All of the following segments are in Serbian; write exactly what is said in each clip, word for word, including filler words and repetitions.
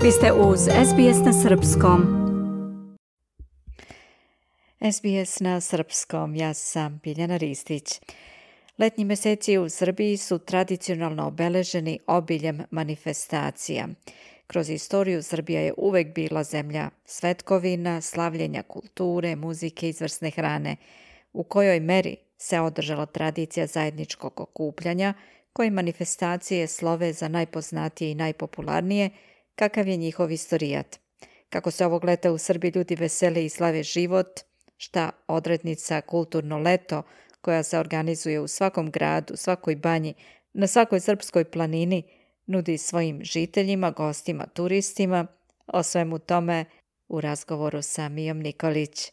Vi ste uz S B S na Srpskom. S B S na Srpskom, ja sam Biljana Ristić. Letnji meseci u Srbiji su tradicionalno obeleženi obiljem manifestacija. Kroz istoriju Srbija je uvek bila zemlja svetkovina, slavljenja kulture, muzike i izvrsne hrane. U kojoj meri se održala tradicija zajedničkog okupljanja, koje manifestacije slove za najpoznatije i najpopularnije, kakav je njihov istorijat. Kako se ovog leta u Srbiji ljudi vesele i slave život, šta odrednica Kulturno leto, koja se organizuje u svakom gradu, svakoj banji, na svakoj srpskoj planini, nudi svojim žiteljima, gostima, turistima, o svemu tome u razgovoru sa Mijom Nikolić.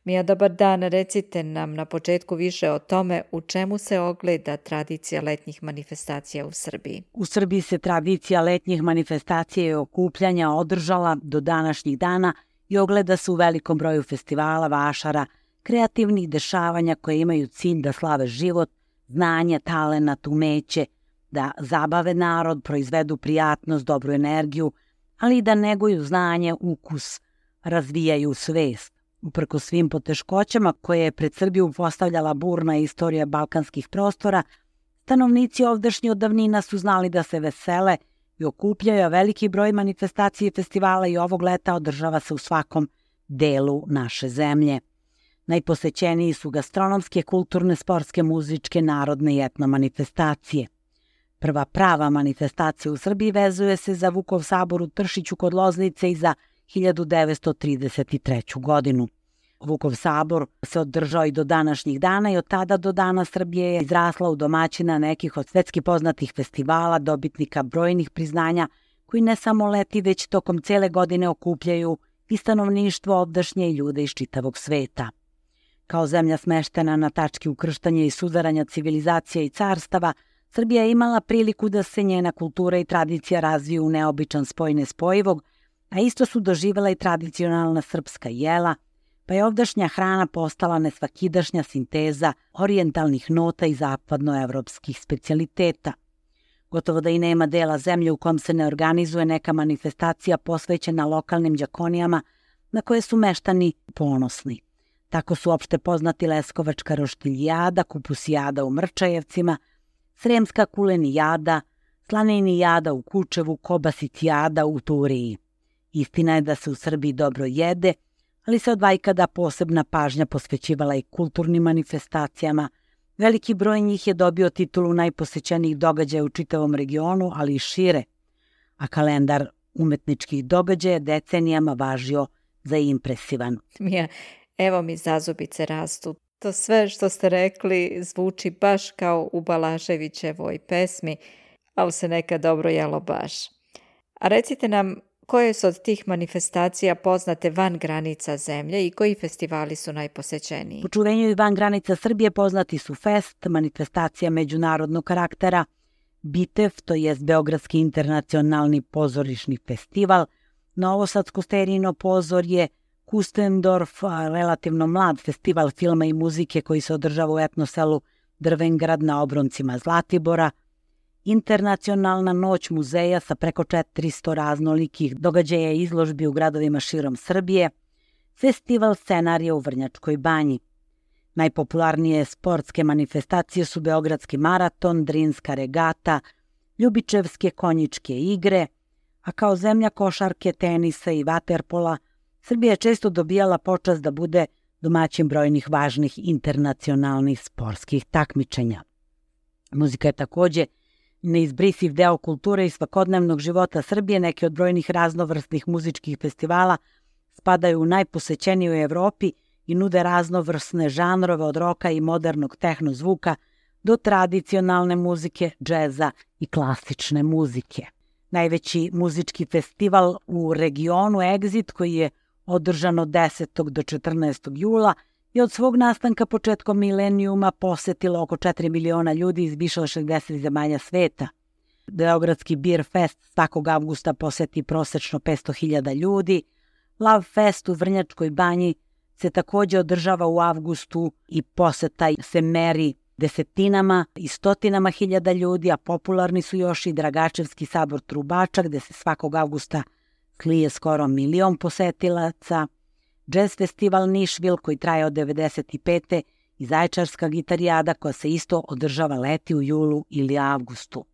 Mija, dobar dan, recite nam na početku više o tome u čemu se ogleda tradicija letnjih manifestacija u Srbiji. U Srbiji se tradicija letnjih manifestacija i okupljanja održala do današnjih dana i ogleda se u velikom broju festivala, vašara, kreativnih dešavanja koje imaju cilj da slave život, znanje, talenat, umeće, da zabave narod, proizvedu prijatnost, dobru energiju, ali i da neguju znanje, ukus, razvijaju svest. Uprkos svim poteškoćama koje je pred Srbiju postavljala burna istorija balkanskih prostora, stanovnici ovdašnji od davnina su znali da se vesele i okupljaju, a veliki broj manifestacija i festivala i ovog leta održava se u svakom delu naše zemlje. Najposećeniji su gastronomske, kulturne, sportske, muzičke, narodne i etno manifestacije. Prva prava manifestacija u Srbiji vezuje se za Vukov sabor u Tršiću kod Loznice i za hiljadu devetsto trideset treću. godinu. Vukov sabor se održao i do današnjih dana i od tada do dana Srbije je izrasla u domaćina nekih od svetski poznatih festivala, dobitnika brojnih priznanja, koji ne samo leti, već tokom cele godine okupljaju i stanovništvo ovdašnje i ljude iz čitavog sveta. Kao zemlja smeštena na tački ukrštanja i suzaranja civilizacija i carstava, Srbija je imala priliku da se njena kultura i tradicija razviju u neobičan spoj nespojivog, a isto su doživjela i tradicionalna srpska jela, pa je ovdašnja hrana postala nesvakidašnja sinteza orijentalnih nota i zapadnoevropskih specijaliteta. Gotovo da i nema dela zemlje u kom se ne organizuje neka manifestacija posvećena lokalnim đakonijama na koje su meštani ponosni. Tako su opšte poznati Leskovačka roštiljijada, kupusijada u Mrčajevcima, Sremska kulenijada, slanenijada u Kučevu, kobasicijada u Turiji. Istina je da se u Srbiji dobro jede, ali se od vajkada posebna pažnja posvećivala i kulturnim manifestacijama. Veliki broj njih je dobio titulu najposećenijih događaja u čitavom regionu, ali i šire, a kalendar umetničkih događaja decenijama važio za impresivan. Mija, evo mi zazubice rastu. To sve što ste rekli zvuči baš kao u Balaševićevoj pesmi, ali se nekad dobro jelo baš. A recite nam, koje su od tih manifestacija poznate van granica zemlje i koji festivali su najposećeniji? U čuvenju i van granica Srbije poznati su Fest, manifestacija međunarodnog karaktera, Bitev, to jest Beogradski internacionalni pozorišni festival, Novosadsko sterijino pozorje, Kustendorf, relativno mlad festival filma i muzike koji se održava u etnoselu Drvengrad na obroncima Zlatibora, Internacionalna noć muzeja sa preko četiristo raznolikih događaja i izložbi u gradovima širom Srbije, Festival scenarija u Vrnjačkoj banji. Najpopularnije sportske manifestacije su Beogradski maraton, Drinska regata, Ljubičevske konjičke igre, a kao zemlja košarke, tenisa i vaterpola, Srbija je često dobijala počast da bude domaćin brojnih važnih internacionalnih sportskih takmičenja. Muzika je takođe neizbrisiv deo kulture i svakodnevnog života Srbije. Neki od brojnih raznovrsnih muzičkih festivala spadaju u najposećeniji u Evropi i nude raznovrsne žanrove od roka i modernog tehno zvuka do tradicionalne muzike, džeza i klasične muzike. Najveći muzički festival u regionu Exit, koji je održan od desetog do četrnaestog jula, i od svog nastanka početkom milenijuma posetilo oko četiri miliona ljudi iz više od šezdeset zemalja sveta. Beogradski Beer Fest svakog avgusta poseti prosečno petsto hiljada ljudi. Love Fest u Vrnjačkoj banji se takođe održava u avgustu i poseta se meri desetinama i stotinama hiljada ljudi, a popularni su još i Dragačevski sabor Trubača, gde se svakog avgusta slije skoro milion posetilaca, Jazz festival Nišvil koji traje od devedeset pete i Zaječarska gitarijada koja se isto održava leti u julu ili avgustu.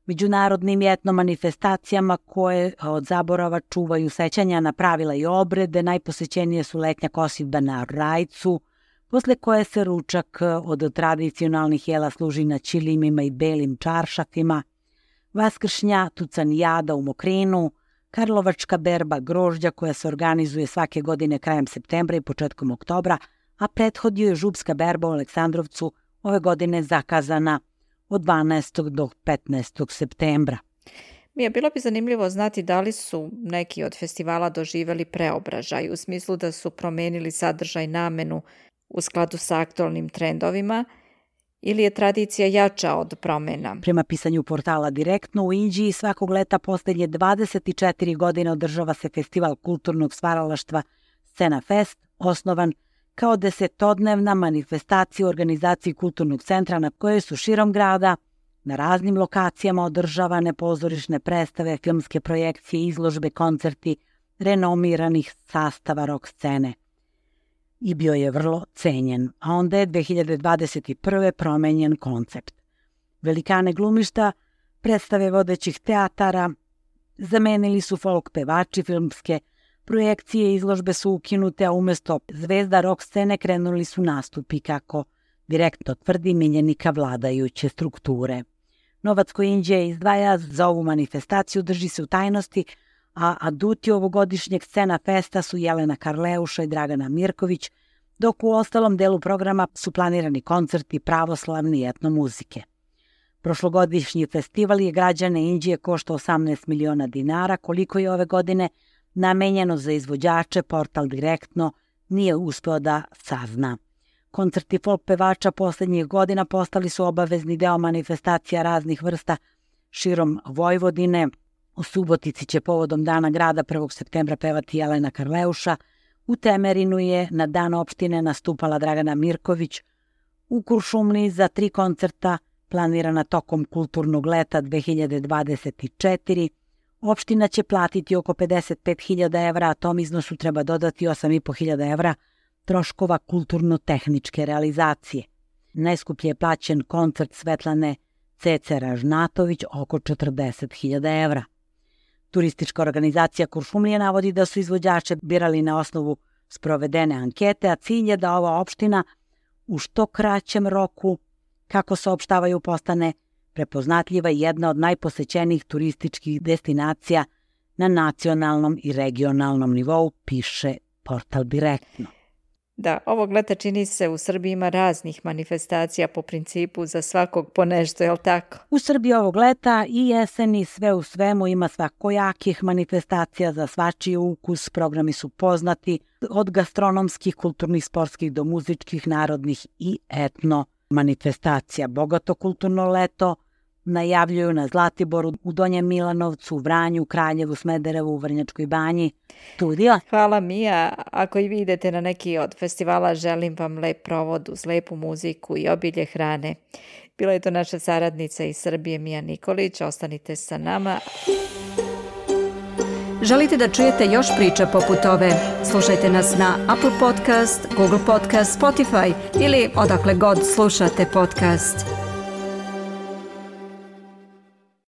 Međunarodnim i etno manifestacijama koje od zaborava čuvaju sećanja na pravila i obrede, najposećenije su letnja kosidba na Rajcu, posle koje se ručak od tradicionalnih jela služi na ćilimima i belim čaršafima, vaskršnja tucanijada u Mokrinu, karlovačka berba grožđa koja se organizuje svake godine krajem septembra i početkom oktobra, a prethodio je župska berba u Aleksandrovcu ove godine zakazana od dvanaestog do petnaestog septembra. Mija, bilo bi zanimljivo znati da li su neki od festivala doživjeli preobražaj u smislu da su promenili sadržaj, namenu u skladu sa aktualnim trendovima ili je tradicija jača od promjena? Prema pisanju portala Direktno, u Inđiji svakog leta posljednje dvadeset četiri godine održava se festival kulturnog stvaralaštva Scena Fest, osnovan kao desetodnevna manifestacija u organizaciji kulturnog centra na kojoj su širom grada na raznim lokacijama održavane pozorišne predstave, filmske projekcije, izložbe, koncerti renomiranih sastava rock scene. I bio je vrlo cenjen, a onda je dve hiljade dvadeset prve promenjen koncept. Velikane glumišta, predstave vodećih teatara, zamenili su folk pevači, filmske projekcije i izložbe su ukinute, a umjesto zvezda rock scene krenuli su nastupi, kako Direktno tvrdi miljenika vladajuće strukture. Novac koji Inđija izdvaja za ovu manifestaciju drži se u tajnosti, a aduti ovogodišnjeg Scena Festa su Jelena Karleuša i Dragana Mirković, dok u ostalom delu programa su planirani koncerti pravoslavne i etno muzike. Prošlogodišnji festival je građane Inđije koštao osamnaest miliona dinara, koliko je ove godine namenjeno za izvođače, portal Direktno nije uspeo da sazna. Koncerti folk pevača posljednjih godina postali su obavezni deo manifestacija raznih vrsta širom Vojvodine. U Subotici će povodom Dana grada prvog septembra pevati Jelena Karleuša, u Temerinu je na Dan opštine nastupala Dragana Mirković, u Kuršumliji za tri koncerta planirana tokom kulturnog leta dve hiljade dvadeset četiri. Opština će platiti oko pedeset pet hiljada evra, a tom iznosu treba dodati osam i po hiljada evra troškova kulturno-tehničke realizacije. Najskuplje je plaćen koncert Svetlane Cece Ražnatović, oko četrdeset hiljada evra. Turistička organizacija Kuršumlije navodi da su izvođače birali na osnovu sprovedene ankete, a cilj je da ova opština u što kraćem roku, kako saopštavaju, postane prepoznatljiva i jedna od najposećenijih turističkih destinacija na nacionalnom i regionalnom nivou, piše portal Direktno. Da, ovog leta čini se u Srbiji ima raznih manifestacija po principu za svakog po nešto, je li tako? U Srbiji ovog leta i jeseni sve u svemu ima svakojakih manifestacija za svačiji ukus, programi su poznati od gastronomskih, kulturnih, sportskih do muzičkih, narodnih i etno manifestacija. Bogato kulturno leto najavljuju na Zlatiboru, u Donjem Milanovcu, Vranju, Kraljevu, Smederevu, u Vrnjačkoj banji. Studio. Hvala Mija. Ako i vi idete na neki od festivala, želim vam lep provod uz lepu muziku i obilje hrane. Bila je to naša saradnica iz Srbije Mija Nikolić. Ostanite sa nama. Želite da čujete još priča poput ove? Slušajte nas na Apple Podcast, Google Podcast, Spotify ili odakle god slušate podcast.